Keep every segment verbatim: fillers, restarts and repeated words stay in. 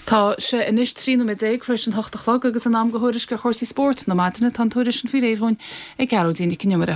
Tá sé anois trí nóiméad déag tar éis an hocht a chlog agus an am do thuairisc ar chúrsaí spóirt na maidine tá an tuairisc sin faoi réir dúinn ag Gearóidín Nic an Iomaire.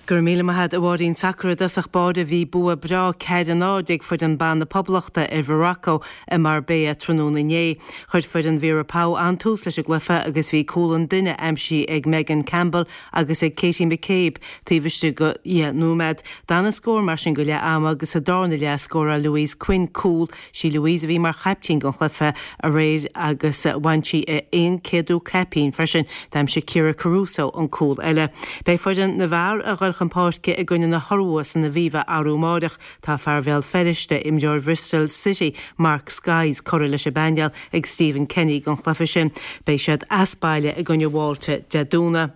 Gur míle maith agat a Mháirín sacar i dtosach báire bhí bua breá ceathair a náid ag foireann ban na Poblachta ar Mhorocco i Marbella tráthnóna inné. Chuir foireann Vera Pauw an-tús leis an gcluiche agus bhí cúl an duine aimsithe ag Megan Campbell agus ag Katie McCabe taobh istigh de dheich nóiméad. D'fhan an scór mar sin go leath ama agus sa darna leath scóráil Louise Quinn cúl sí Louise a bhí mar chaiptín don chluiche aréir agus bhain sí a aon céadú caipín freisin d'aimsigh Ciara Caruso an cúl eile. Beidh foireann na bhfear ag dul chun páirce i gcoinne na hIorua san Aviva arú amárach tá fear Bhéal Feirste imreoir Bristol City Mark Skies curtha leis an bpainéal ag Stephen Kenny don chluiche sin beidh siad as baile i gcoinne Mhálta Dé Domhnaigh.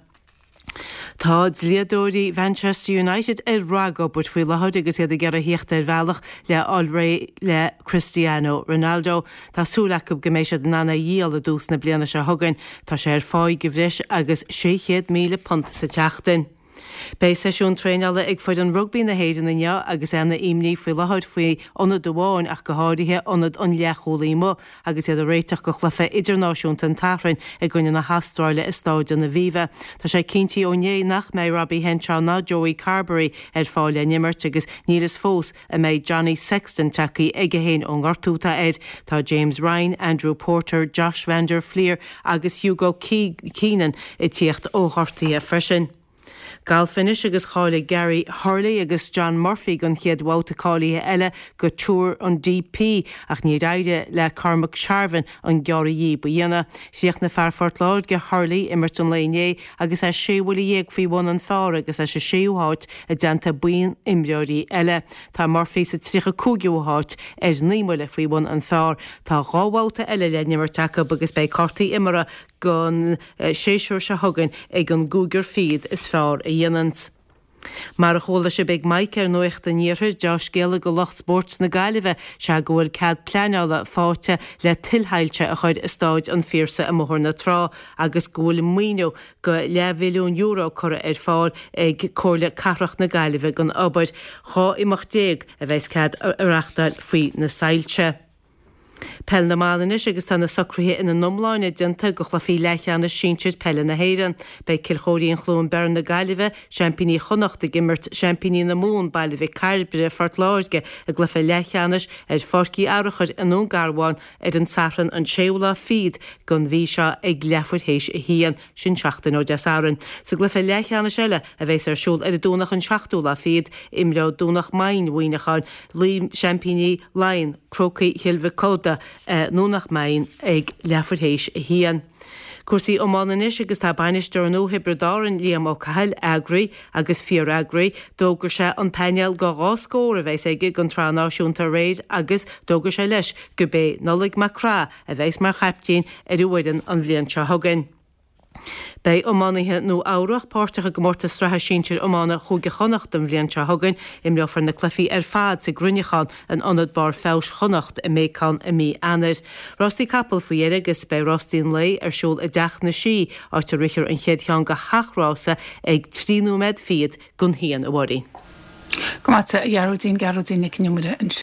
Tá dlíodóirí Manchester United ar ragobair faoi láthair agus iad ag iarraidh theacht ar bhealach le fháil réidh le Cristiano Ronaldo. Tá súil acu go mbeidh siad in ann é a dhíol i dtús na bliana seo chugainn, Tá sé ar pháí de bhreis agus sé chéad míle punt sa tseachtain. Beidh seisiún traenála ag foireann rugbaí na hÉireann inniu agus an-imní faoi láthair faoi ionad amháin ach go háirithe ionad an leathchúlaí amuigh agus iad ag réiteach do chluiche idirnáisiúnta an tSathairn i gcoinne na hAstráile i Staid an Aviva. Tá sé cinnte ó inné nach mbeidh Robbie Henshaw ná Joey Carbery ar fáil le n-imirt agus níl a fhios fós an mbeidh Johnny Sexton tagtha chuige féin ón ngortú atá air. Tá James Ryan, Andrew Porter, Josh van der Flier agus Hugo Keenan ag tíocht ó ghortuithe freisin. Galf anois agus cháiligh Gary Hurley agus John Murphy don chéad bhabhta cáilithe eile go Tour an DP ach níor éirigh le Cormac Sharvin an gearradh díobh a dhéanamh. Chríochnaigh fear Phort Láirge Hurley imirt an lae inné agus é sé bhuille dhéag faoi bhun an phar agus é sa séú háit i dteannta buíon imreoirí eile. Tá Murphy sa tríocha cúigiú háit ar naoi mbuille faoi bhun an phar. Tá dhá bhabhta eile le n-imirt acu agus beidh cártaí imeartha don séasúr seo chugainn ag an gcúigear fichead is fearr a dhéananns. Mar a chuala sibh ag Mike ar Nuacht an Iarthair dea-scéala do lucht spóirt na Gaillimhe sea go bhfuil cead pleanála faighte le tuilshoilse a chur i Staid an Phiarsaigh i mBóthar na Trá agus go bhfuil maoiniú de leathmhilliún euro curtha ar fáil ag Comhairle Cathrach na Gaillimhe don obair. Dhá imeacht déag a bheas cead a reáchtáil faoi na soilse. Peil na mban anois agus tá na socruithe ina n-iomláine déanta do chluichí leathcheannais sinsir peile na hÉireann. Beidh Cill Chóirín Chluain Bheirn na Gaillimhe, seaimpíní Chonnacht ag imirt seaimpíní na Mumhan Baile Mhic Cairbre Phort Láirge i gcluiche leathcheannais ar Pháirc Uí Fhearachair i nDún Garbhán ar an Satharn an séú lá fichead den mhí seo ag leathuair théis a haon, sin seachtain ó Dé Sathairn. Sa gcluiche leathcheannais eile a bheas ar siúl ar an Domhnach an seachtú lá fichead, imreoidh Domhnach Maighin Mhuineacháin le seaimpíní Laighean, Crócaigh Chill Mhic Coda i nDomhnach Maighin ag leathuair théis a haon. Cúrsaí iomána anois agus tá bainisteoir nua Thiobraid Árann, Liam Ó Cathail, eagraí agus fíoreagraí. D'fhógair sé an painéal de dhá scór a bheas aige don tsraith náisiúnta aréir agus d'fhógair sé leis gurb é Nollaig Mac Craith a bheas mar chaiptín ar an bhfoireann an bhliain seo chugainn. Beidh iománaithe Nua Eabhrac páirteach i gcomórtas sraithe sinsir iomána Chúige Chonnacht an bhliain seo chugainn. Imreofar na cluichí ar fad sa gCruinneachán in Ionad Barr Feabhais Chonnacht i mBéacán i mí Eanáir. Rástaí capall faoi dheireadh agus beidh rástaí an lae ar siúl i dTeach na Sí, áit a rithfear an chéad cheann de sheacht rása ag trí nóiméad fichead don haon, a Mháirín. Go maith a Ghearóidín Gearóidín Nic an Iomaire ansin.